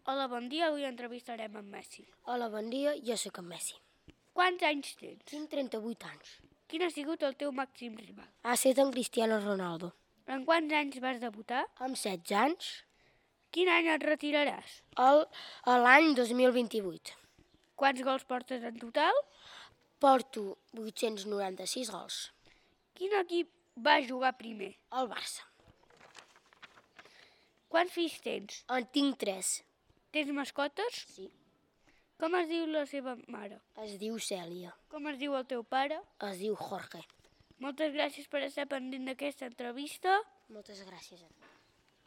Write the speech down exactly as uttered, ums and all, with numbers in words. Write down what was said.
Hola, bon dia, avui entrevistarem en Messi. Hola, bon dia, jo sóc en Messi. Quants anys tens? Tinc trenta-vuit anys. Quin ha sigut el teu màxim rival? Ha estat en Cristiano Ronaldo. En quants anys vas debutar? Amb setze anys, Quin any et retiraràs? el- a l'any dos mil vint-i-vuit. Quants gols portes en total? Porto vuit-cents noranta-sis gols. Quin equip va jugar primer? El Barça. Quants fills tens? En tinc tres. Tens mascotes? Sí. Com es diu la seva mare? Es diu Cèlia. Com es diu el teu pare? Es diu Jorge. Moltes gràcies per estar pendent d'aquesta entrevista. Moltes gràcies a tu.